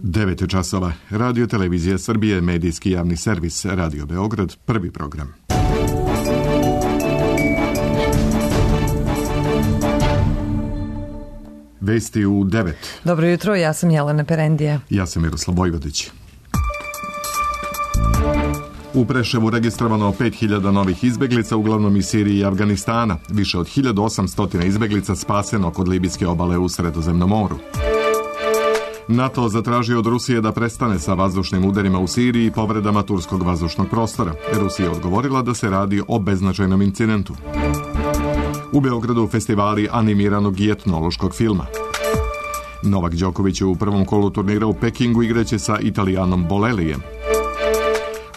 9 časova. Radio Televizija Srbije, medijski javni servis, Radio Beograd, prvi program. Vesti u 9. Dobro jutro, ja sam Jelena Perendija. Ja sam Miroslav Vojvodić. U Preševu registrovano 5000 novih izbeglica, uglavnom iz Sirije i Afganistana. Više od 1800 izbeglica spaseno kod libijske obale u Sredozemnom moru. NATO zatražio od Rusije da prestane sa vazdušnim udarima u Siriji i povredama turskog vazdušnog prostora. Rusija je odgovorila da se radi o beznačajnom incidentu. U Beogradu festivali animiranog i etnološkog filma. Novak Đoković u prvom kolu turnira u Pekingu igraće sa Italijanom Bolelijem.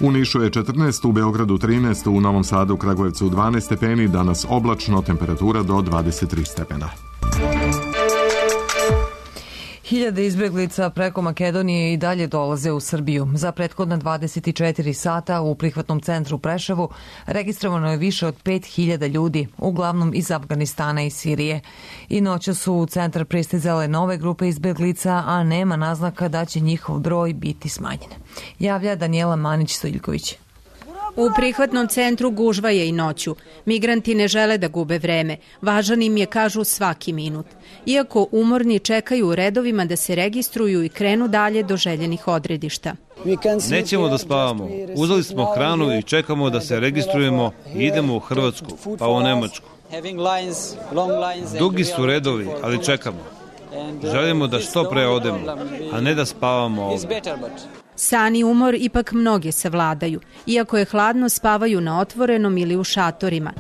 U Nišu je 14, u Beogradu 13, u Novom Sadu, Kragujevcu 12 stepeni, danas oblačno, temperatura do 23 stepena. Hiljade izbeglica preko Makedonije i dalje dolaze u Srbiju. Za prethodna 24 sata u prihvatnom centru Preševu registrovano je više od 5000 ljudi, uglavnom iz Afganistana i Sirije. I noća su u centar pristizale nove grupe izbeglica, a nema naznaka da će njihov broj biti smanjen. Javlja Danijela Manić-Stojiljković. U prihvatnom centru gužva je i noću. Migranti ne žele da gube vreme. Važan im je, kažu, svaki minut. Iako umorni čekaju u redovima da se registruju i krenu dalje do željenih odredišta. Nećemo da spavamo. Uzeli smo hranu i čekamo da se registrujemo i idemo u Hrvatsku, pa u Nemačku. Dugi su redovi, ali čekamo. Želimo da što pre odemo, a ne da spavamo ovdje. San i umor ipak mnoge savladaju. Iako je hladno, spavaju na otvorenom ili u šatorima.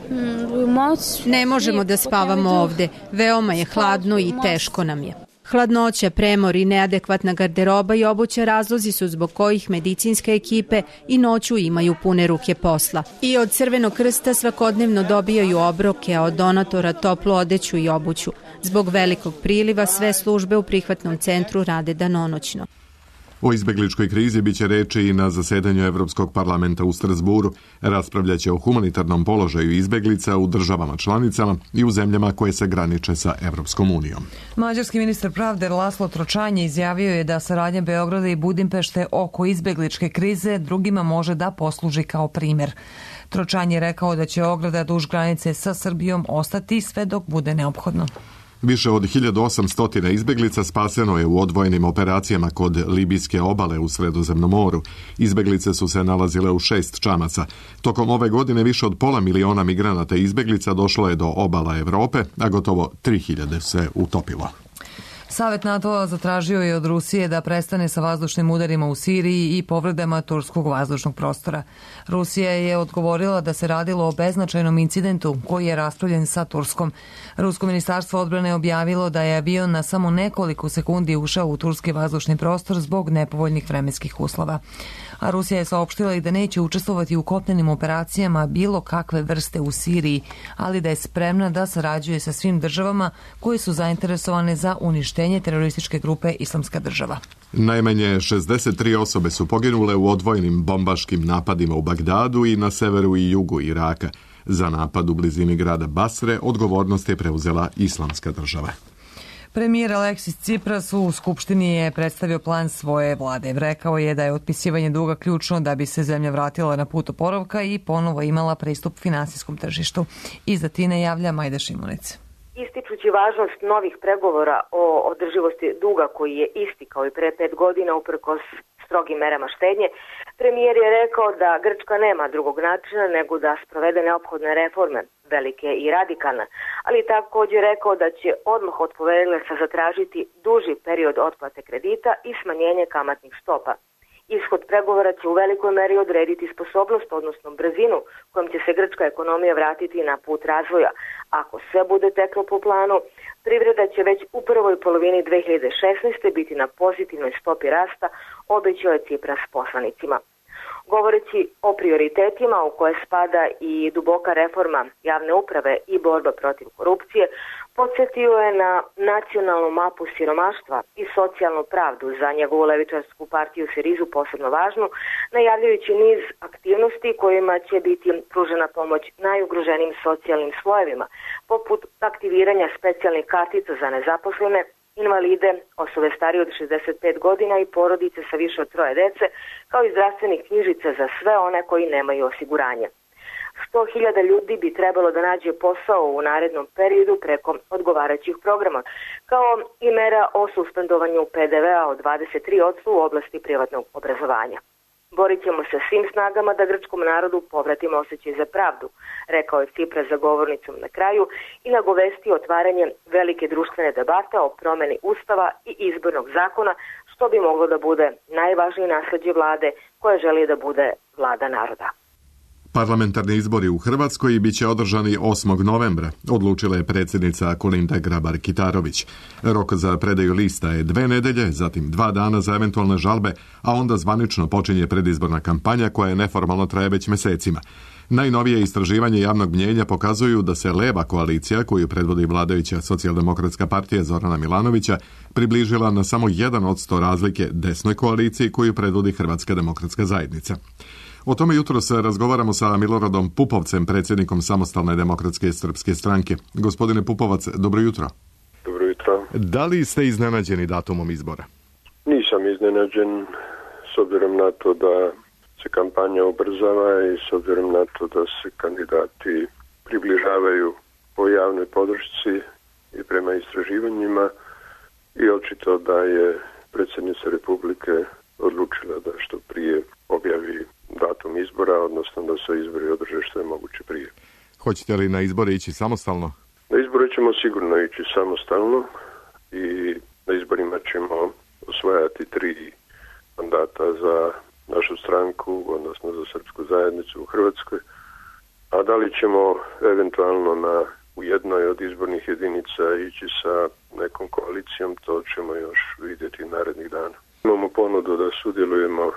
Ne možemo da spavamo ovde. Veoma je hladno i teško nam je. Hladnoća, premor i neadekvatna garderoba i obuća razlozi su zbog kojih medicinske ekipe i noću imaju pune ruke posla. I od Crvenog krsta svakodnevno dobijaju obroke, a od donatora toplu odeću i obuću. Zbog velikog priliva sve službe u prihvatnom centru rade danonoćno. O izbegličkoj krizi biće reči i na zasedanju Evropskog parlamenta u Strasburu. Raspravljaće o humanitarnom položaju izbeglica u državama članicama i u zemljama koje se graniče sa Evropskom unijom. Mađarski ministar pravde Laslo Tročanje izjavio je da saradnja Beograda i Budimpešte oko izbegličke krize drugima može da posluži kao primjer. Tročanje je rekao da će ograda duž granice sa Srbijom ostati sve dok bude neophodno. Više od 1800 izbeglica spaseno je u odvojenim operacijama kod libijske obale u Sredozemnom moru. Izbeglice su se nalazile u 6 čamaca. Tokom ove godine više od 500.000 migranata i izbeglica došlo je do obala Evrope, a gotovo 3000 se utopilo. Savet NATO-a zatražio je od Rusije da prestane sa vazdušnim udarima u Siriji i povredama turskog vazdušnog prostora. Rusija je odgovorila da se radilo o beznačajnom incidentu koji je raspravljen sa Turskom. Rusko ministarstvo odbrane je objavilo da je avion na samo nekoliko sekundi ušao u turski vazdušni prostor zbog nepovoljnih vremenskih uslova. A Rusija je saopštila i da neće učestvovati u kopnenim operacijama bilo kakve vrste u Siriji, ali da je spremna da sarađuje sa svim državama koje su zainteresovane za uništenje terorističke grupe Islamska država. Najmanje 63 osobe su poginule u odvojenim bombaškim napadima u Bagdadu i na severu i jugu Iraka. Za napad u blizini grada Basre odgovornost je preuzela Islamska država. Premijer Aleksis Tsipras u Skupštini je predstavio plan svoje vlade. Rekao je da je otpisivanje duga ključno da bi se zemlja vratila na put oporavka i ponovo imala pristup finansijskom tržištu. Iz Atine javlja Majda Šimunić. Ističući važnost novih pregovora o održivosti duga koji je isti kao i pre 5 godina uprkos strogim merama štednje, premijer je rekao da Grčka nema drugog načina nego da sprovede neophodne reforme, velike i radikalne, ali također rekao da će odmah od poverilaca zatražiti duži period otplate kredita i smanjenje kamatnih stopa. Ishod pregovora će u velikoj meri odrediti sposobnost, odnosno brzinu kojom će se grčka ekonomija vratiti na put razvoja. Ako sve bude teklo po planu, privreda će već u prvoj polovini 2016. biti na pozitivnoj stopi rasta, obećao je Tsipras poslanicima. Govoreći o prioritetima u koje spada i duboka reforma javne uprave i borba protiv korupcije, podsjetio je na nacionalnu mapu siromaštva i socijalnu pravdu za njegovu levičarsku partiju Sirizu posebno važnu, najavljujući niz aktivnosti kojima će biti pružena pomoć najugroženijim socijalnim slojevima, poput aktiviranja specijalnih kartica za nezaposlene invalide, osobe starije od 65 godina i porodice sa više od 3 dece, kao i zdravstvenih knjižica za sve one koji nemaju osiguranje. 100.000 ljudi bi trebalo da nađe posao u narednom periodu preko odgovarajućih programa, kao i mera o suspendovanju PDV-a od 23% u oblasti privatnog obrazovanja. Borit ćemo se svim snagama da grčkom narodu povratimo osjećaj za pravdu, rekao je Tsipras za govornicom na kraju i nagovestio otvaranje velike društvene debate o promeni ustava i izbornog zakona, što bi moglo da bude najvažnije nasleđe vlade koja želi da bude vlada naroda. Parlamentarni izbori u Hrvatskoj biće održani 8. novembra, odlučila je predsjednica Kolinda Grabar-Kitarović. Rok za predaju lista je 2 nedelje, zatim 2 dana za eventualne žalbe, a onda zvanično počinje predizborna kampanja koja je neformalno traje već mesecima. Najnovije istraživanje javnog mnjenja pokazuju da se leva koalicija, koju predvodi vladajuća Socijaldemokratska partija Zorana Milanovića, približila na samo 1% razlike desnoj koaliciji koju predvodi Hrvatska demokratska zajednica. O tome jutros razgovaramo sa Miloradom Pupovcem, predsjednikom Samostalne demokratske srpske stranke. Gospodine Pupovac, dobro jutro. Dobro jutro. Da li ste iznenađeni datumom izbora? Nisam iznenađen, s obzirom na to da se kampanja ubrzava i s obzirom na to da se kandidati približavaju po javnoj podršci i prema istraživanjima i očito da je predsjednica Republike odlučila da što prije objavi datum izbora, odnosno da se izbori održe što je moguće prije. Hoćete li na izbore ići samostalno? Na izbore ćemo sigurno ići samostalno i na izborima ćemo osvajati 3 mandata za našu stranku, odnosno za srpsku zajednicu u Hrvatskoj. A da li ćemo eventualno u jednoj od izbornih jedinica ići sa nekom koalicijom, to ćemo još vidjeti narednih dana. Imamo ponudu da sudjelujemo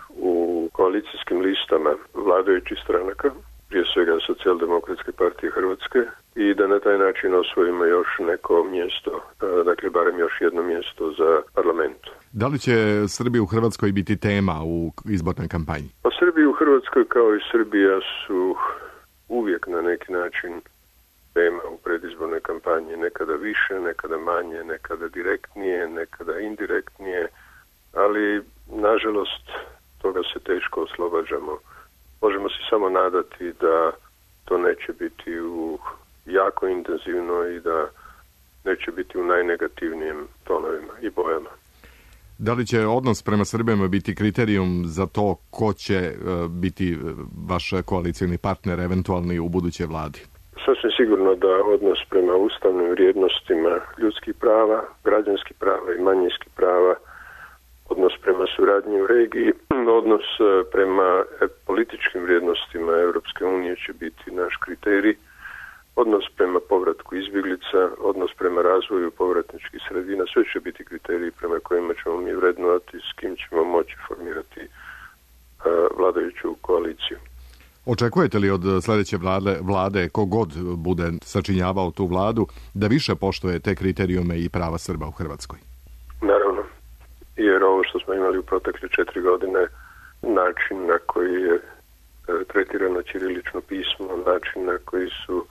u koalicijskim listama vladajućih stranaka, prije svega Socijaldemokratske partije Hrvatske, i da na taj način osvojimo još neko mjesto, dakle barem još jedno mjesto za parlament. Da li će Srbija u Hrvatskoj biti tema u izbornoj kampanji? Pa Srbija u Hrvatskoj kao i Srbija su uvijek na neki način tema u predizbornoj kampanji, nekada više, nekada manje, nekada direktnije, nekada indirektnije, ali nažalost toga se teško oslobađamo. Možemo se samo nadati da to neće biti u jako intenzivno i da neće biti u najnegativnijim tonovima i bojama. Da li će odnos prema Srbima biti kriterijum za to ko će biti vaš koalicijni partner eventualni u budućoj vladi? Sasvim sigurno da odnos prema ustavnim vrijednostima ljudskih prava, građanskih prava i manjinskih prava, odnos prema suradnji u regiji, odnos prema političkim vrijednostima Europske unije će biti naš kriterij, odnos prema povratku izbjeglica, odnos prema razvoju povratničkih sredina, sve će biti kriteriji prema kojima ćemo mi vrednovati, s kim ćemo moći formirati vladajuću koaliciju. Očekujete li od sljedeće vlade, kogod bude sačinjavao tu vladu, da više poštuje te kriterijume i prava Srba u Hrvatskoj? Naravno, jer ovo što smo imali u protekle 4 godine, način na koji je tretirano ćirilično pismo, način na koji su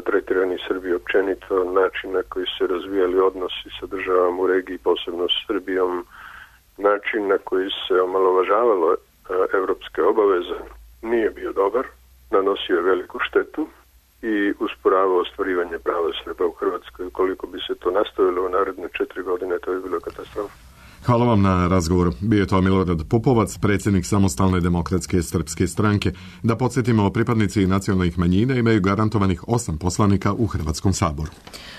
tretirani Srbi općenito, način na koji se razvijali odnosi sa državama u regiji, posebno s Srbijom, način na koji se omalovažavalo evropske obaveze, nije bio dobar, nanosio je veliku štetu i usporavao ostvarivanje prava Srba u Hrvatskoj. Ukoliko bi se to nastavilo u naredne 4 godine, to je bilo katastrofa. Hvala vam na razgovor. Bio je to Milorad Pupovac, predsjednik Samostalne demokratske srpske stranke. Da podsjetimo, pripadnici nacionalnih manjina imaju garantovanih 8 poslanika u Hrvatskom saboru.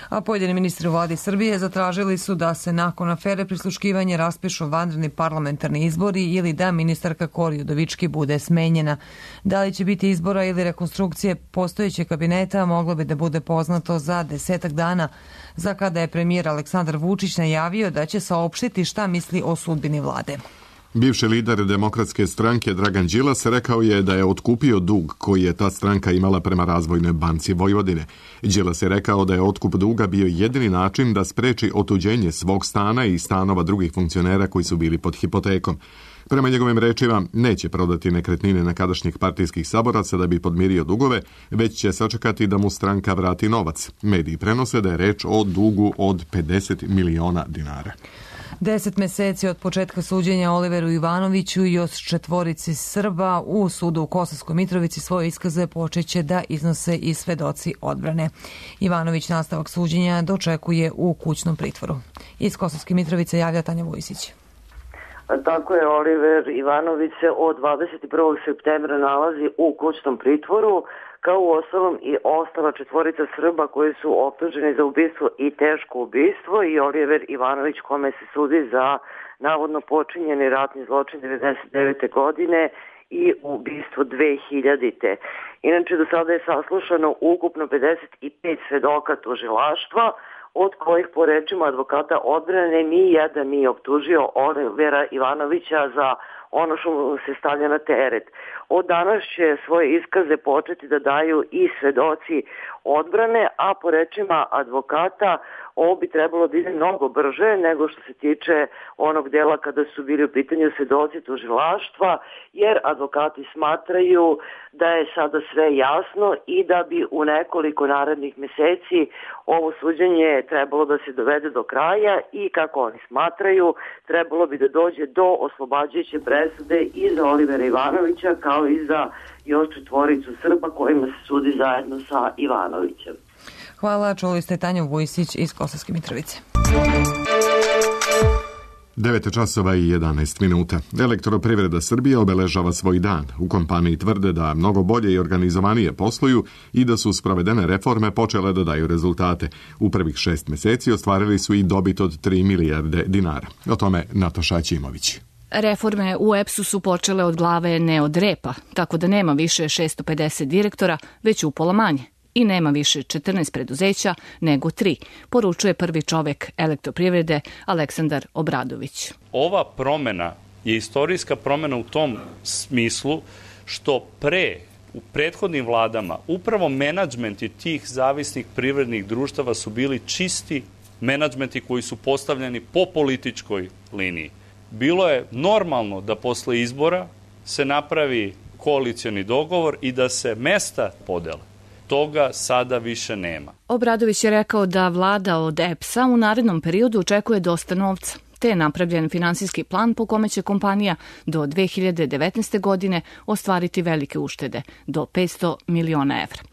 A pojedini ministri u vladi Srbije zatražili su da se nakon afere prisluškivanja raspišu vanredni parlamentarni izbori ili da ministarka Kori Udovički bude smenjena. Da li će biti izbora ili rekonstrukcije postojećeg kabineta moglo bi da bude poznato za 10 dana, za kada je premijer Aleksandar Vučić najavio da će saopštiti šta misli o sudbini vlade. Bivši lider Demokratske stranke Dragan Đilas rekao je da je otkupio dug koji je ta stranka imala prema Razvojnoj banci Vojvodine. Đilas je rekao da je otkup duga bio jedini način da spreči otuđenje svog stana i stanova drugih funkcionera koji su bili pod hipotekom. Prema njegovim rečima, neće prodati nekretnine nekadašnjih partijskih saboraca da bi podmirio dugove, već će sačekati da mu stranka vrati novac. Mediji prenose da je reč o dugu od 50 miliona dinara. 10 meseci od početka suđenja Oliveru Ivanoviću i još 4 Srba u sudu u Kosovskoj Mitrovici svoje iskaze počeće da iznose i svedoci odbrane. Ivanović nastavak suđenja dočekuje u kućnom pritvoru. Iz Kosovske Mitrovice javlja Tanja Vujsić. Tako je, Oliver Ivanović se od 21. septembra nalazi u kućnom pritvoru, kao u ostalom i ostala 4 Srba koji su optuženi za ubistvo i teško ubistvo, i Oliver Ivanović kome se sudi za navodno počinjeni ratni zločin 1999. godine i ubistvo 2000. Inače, do sada je saslušano ukupno 55 svedoka tužilaštva, od kojih po rečima advokata odbrane ni jedan nije optužio Olivera Ivanovića za ono što mu se stavlja na teret. Od danas će svoje iskaze početi da daju i svedoci odbrane, a po rečima advokata ovo bi trebalo da ide mnogo brže nego što se tiče onog dela kada su bili u pitanju svedoci tužilaštva, jer advokati smatraju da je sada sve jasno i da bi u nekoliko narednih meseci ovo suđenje trebalo da se dovede do kraja i, kako oni smatraju, trebalo bi da dođe do oslobađajuće presude i za Olivera Ivanovića, kao i za još 4 Srba kojima se sudi zajedno sa Ivanovićem. Hvala, čuli ste Tanju Vujsić iz Kosovske Mitrovice. 9 časova i 11 minuta. Elektroprivreda Srbije obeležava svoj dan. U kompaniji tvrde da mnogo bolje i organizovanije posluju i da su sprovedene reforme počele da daju rezultate. U prvih 6 meseci ostvarili su i dobit od 3 milijarde dinara. O tome Nataša Ćimović. Reforme u EPS-u su počele od glave, ne od repa, tako da nema više 650 direktora, već upola manje. I nema više 14 preduzeća nego 3, poručuje prvi čovek elektroprivrede Aleksandar Obradović. Ova promena je istorijska promena u tom smislu što u prethodnim vladama upravo menadžmenti tih zavisnih privrednih društava su bili čisti menadžmenti koji su postavljeni po političkoj liniji. Bilo je normalno da posle izbora se napravi koalicioni dogovor i da se mesta podele. Toga sada više nema. Obradović je rekao da vlada od EPS-a u narednom periodu očekuje dosta novca, te je napravljen finansijski plan po kome će kompanija do 2019. godine ostvariti velike uštede, do 500 miliona evra.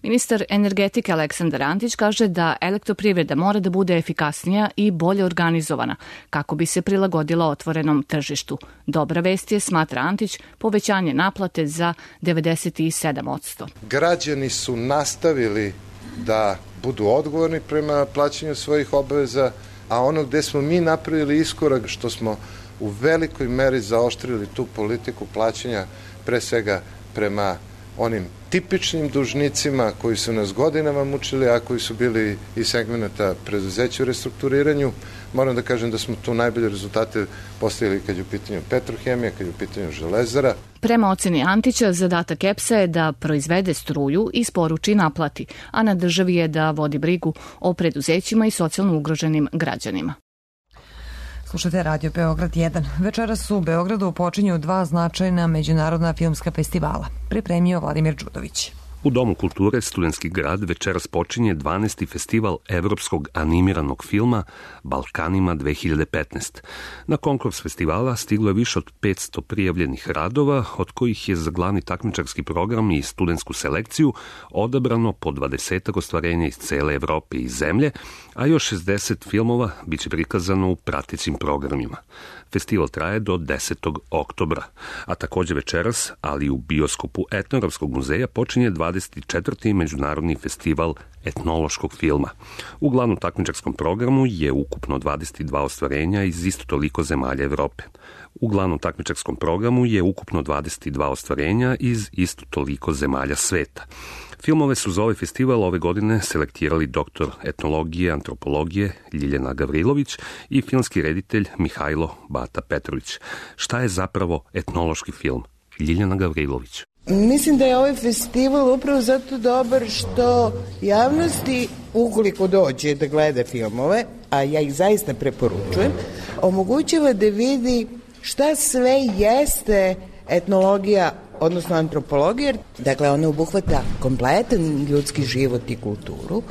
Ministar energetike Aleksandar Antić kaže da elektroprivreda mora da bude efikasnija i bolje organizovana kako bi se prilagodila otvorenom tržištu. Dobra vest je, smatra Antić, povećanje naplate za 97%. Građani su nastavili da budu odgovorni prema plaćanju svojih obaveza, a ono gde smo mi napravili iskorak, što smo u velikoj meri zaoštrili tu politiku plaćanja, pre svega prema onim tipičnim dužnicima koji su nas godinama mučili, a koji su bili iz segmenta preduzeća u restrukturiranju. Moram da kažem da smo tu najbolje rezultate postavili kad je u pitanju Petrohemija, kad je u pitanju Železara. Prema oceni Antića, zadatak EPS-a je da proizvede struju i isporuči i naplati, a na državi je da vodi brigu o preduzećima i socijalno ugroženim građanima. Slušajte Radio Beograd 1. Večeras u Beogradu počinju 2 značajna međunarodna filmska festivala. Pripremio Vladimir Đudović. U Domu kulture Studentski grad večeras počinje 12. festival evropskog animiranog filma Balkanima 2015. Na konkurs festivala stiglo je više od 500 prijavljenih radova, od kojih je za glavni takmičarski program i studentsku selekciju odabrano po 20 ostvarenja iz cele Evrope i zemlje, a još 60 filmova biće prikazano u pratećim programima. Festival traje do 10. oktobra, a takođe večeras, ali u bioskopu Etnografskog muzeja počinje 20. 24. Međunarodni festival etnološkog filma. U glavnom takmičarskom programu je ukupno 22 ostvarenja iz isto toliko zemalja Evrope. U glavnom takmičarskom programu je ukupno 22 ostvarenja iz isto toliko zemalja sveta. Filmove su za ovaj festival ove godine selektirali doktor etnologije, antropologije Ljiljana Gavrilović i filmski reditelj Mihajlo Bata Petrović. Šta je zapravo etnološki film? Ljiljana Gavrilović. Mislim da je ovaj festival upravo zato dobar što javnosti, ukoliko dođe da gleda filmove, a ja ih zaista preporučujem, omogućava da vidi šta sve jeste etnologija, odnosno antropologija. Dakle, ona obuhvata kompletan ljudski život i kulturu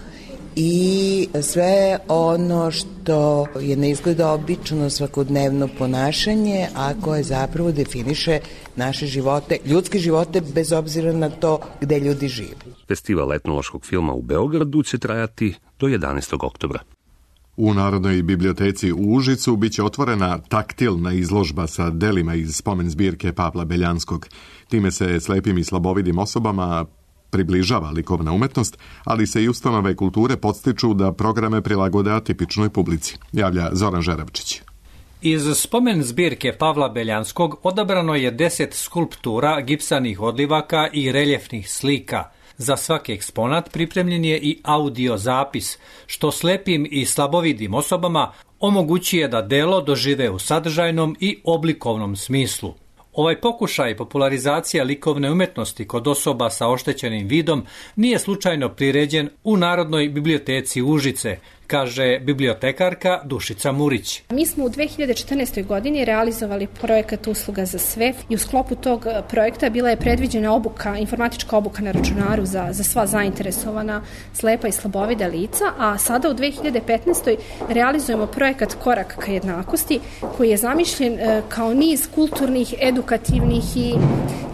i sve ono što je na izgled obično svakodnevno ponašanje, a koje zapravo definiše naše živote, ljudske živote, bez obzira na to gde ljudi žive. Festival etnološkog filma u Beogradu će trajati do 11. oktobra. U Narodnoj biblioteci u Užicu biće otvorena taktilna izložba sa delima iz spomen zbirke Pavla Beljanskog. Time se slepim i slabovidim osobama približava likovna umetnost, ali se i ustanove kulture podstiču da programe prilagode atipičnoj publici, javlja Zoran Žeravčić. Iz spomen zbirke Pavla Beljanskog odabrano je 10 skulptura, gipsanih odlivaka i reljefnih slika. Za svaki eksponat pripremljen je i audio zapis, što slepim i slabovidim osobama omogućuje da delo dožive u sadržajnom i oblikovnom smislu. Ovaj pokušaj popularizacija likovne umetnosti kod osoba sa oštećenim vidom nije slučajno priređen u Narodnoj biblioteci Užice, kaže bibliotekarka Dušica Murić. Mi smo u 2014. godini realizovali projekat Usluga za sve i u sklopu tog projekta bila je predviđena obuka, informatička obuka na računaru za sva zainteresovana slepa i slabovida lica, a sada u 2015. realizujemo projekat Korak ka jednakosti, koji je zamišljen kao niz kulturnih, edukativnih i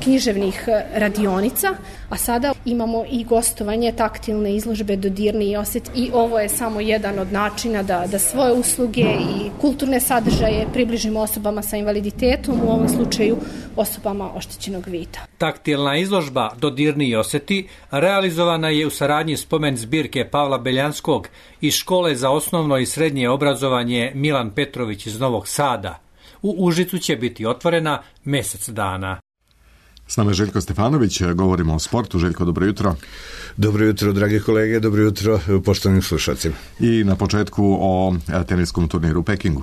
književnih radionica, a sada imamo i gostovanje, taktilne izložbe, dodirni osjet, i ovo je samo jedan od načina da svoje usluge i kulturne sadržaje približimo osobama sa invaliditetom, u ovom slučaju osobama oštećenog vida. Taktilna izložba Dodirni osjeti realizovana je u saradnji spomen zbirke Pavla Beljanskog iz Škole za osnovno i srednje obrazovanje Milan Petrović iz Novog Sada. U Užicu će biti otvorena mesec dana. S nama je Željko Stefanović, govorimo o sportu. Željko, dobro jutro. Dobro jutro, dragi kolege, dobro jutro poštovanim slušalcima. I na početku o teniskom turniru u Pekingu.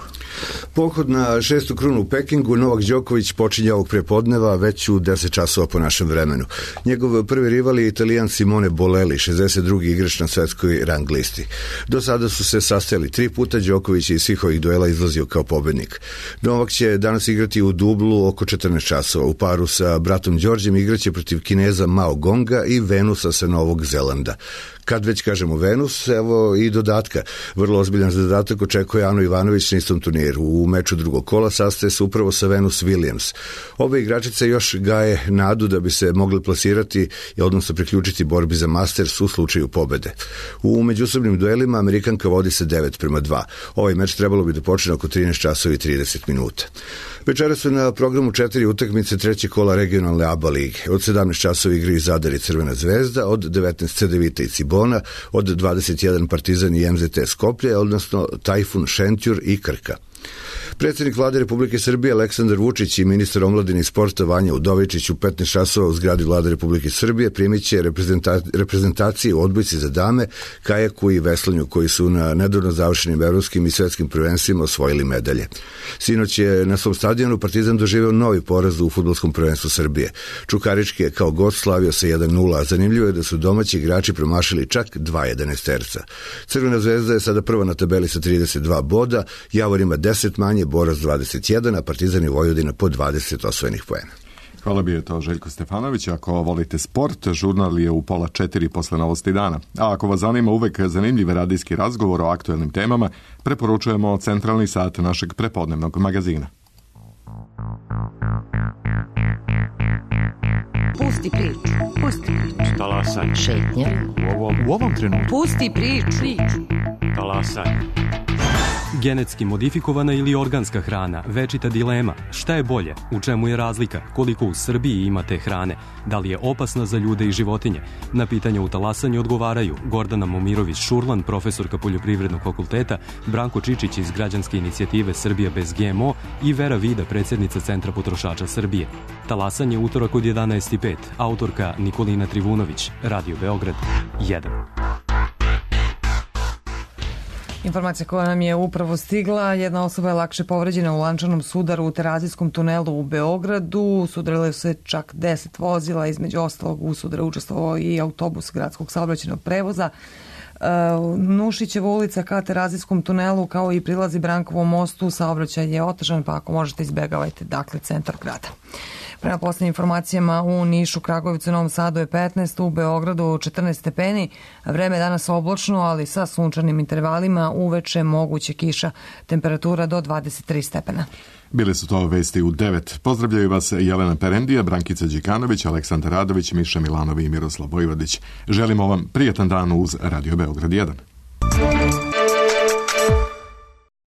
Pohod na 6. krunu u Pekingu Novak Đoković počinje ovog prepodneva već u 10 časova po našem vremenu. Njegov prvi rival je Italijan Simone Bolelli, 62. igrač na svetskoj rang listi. Do sada su se sastajali 3 puta, Đoković je iz svih ovih duela izlazio kao pobednik. Novak će danas igrati u dublu oko 14 časova. U paru sa bratom Đorđem igraće protiv Kineza Mao Gonga i Venusa sa Novog Zelanda. Kad već kažemo Venus, evo i dodatka. Vrlo ozbiljan zadatak očekuje Ano Ivanović na istom turniru. U meču drugog kola sastaje se upravo sa Venus Williams. Obe igračice još gaje nadu da bi se mogli plasirati i odnosno priključiti borbi za Masters u slučaju pobede. U međusobnim duelima Amerikanka vodi se 9-2. Ovaj meč trebalo bi da počne oko 13 časova i 30 minuta. Večera su na programu 4 utakmice trećeg kola regionalne ABA lige. Od 17 časova igraju Zadar i Crvena zvezda, od 19 Cedevita i Cibona, od 21 Partizan i MZT Skoplje, odnosno Tajfun, Šentjur i Krka. Predsjednik Vlade Republike Srbije Aleksandar Vučić i ministar omladine i sporta Vanja Udovičić u 15 časova u zgradi Vlade Republike Srbije primit će reprezentacije u odbojci za dame, kajaku i veslanju koji su na nedavno završenim evropskim i svetskim prvenstvima osvojili medalje. Sinoć je na svom stadionu Partizan doživeo novi poraz u fudbalskom prvenstvu Srbije. Čukarički je kao gost slavio sa 1-0, a zanimljivo je da su domaći igrači promašili čak 2 11-terca. Crvena zvezda je sada prva na tabeli sa 32 boda, Javor ima 10 manje, Borac 21, a Partizan i Vojvodina po 20 osvojenih poena. Hvala, bio je to Željko Stefanović. Ako volite sport, žurnal je u 3:30 posle novosti dana. A ako vas zanima uvek zanimljiv radijski razgovor o aktuelnim temama, preporučujemo centralni sat našeg prepodnevnog magazina. Pusti priču. Pusti priču. Talasaj. Šetnja. U ovom trenutku. Pusti priču. Talasaj. Genetski modifikovana ili organska hrana, večita dilema. Šta je bolje? U čemu je razlika? Koliko u Srbiji ima te hrane? Da li je opasna za ljude i životinje? Na pitanja u talasanju odgovaraju Gordana Momirović-Šurlan, profesorka Poljoprivrednog fakulteta, Branko Čičić iz građanske inicijative Srbija bez GMO i Vera Vida, predsjednica Centra potrošača Srbije. Talasanje utorak od 11:05. Autorka Nikolina Trivunović, Radio Beograd 1. Informacija koja nam je upravo stigla, jedna osoba je lakše povređena u lančanom sudaru u Terazijskom tunelu u Beogradu. Sudarilo se čak 10 vozila, između ostalog u sudaru učestvovao i autobus gradskog saobraćajnog prevoza. Nušićeva ulica ka Terazijskom tunelu kao i prilazi Brankovom mostu, saobraćaj je otežan, pa ako možete izbegavajte, dakle, centar grada. Prema posljednjim informacijama u Nišu, Kragujevcu i Novom Sadu je 15, u Beogradu 14 stepeni, vreme je danas oblačno, ali sa sunčanim intervalima, uveče moguće kiša, temperatura do 23 stepena. Bile su to vesti u 9. Pozdravljaju vas Jelena Perendija, Brankica Đikanović, Aleksandar Radović, Miša Milanovi i Miroslav Vojvodić. Želimo vam prijatan dan uz Radio Beograd 1.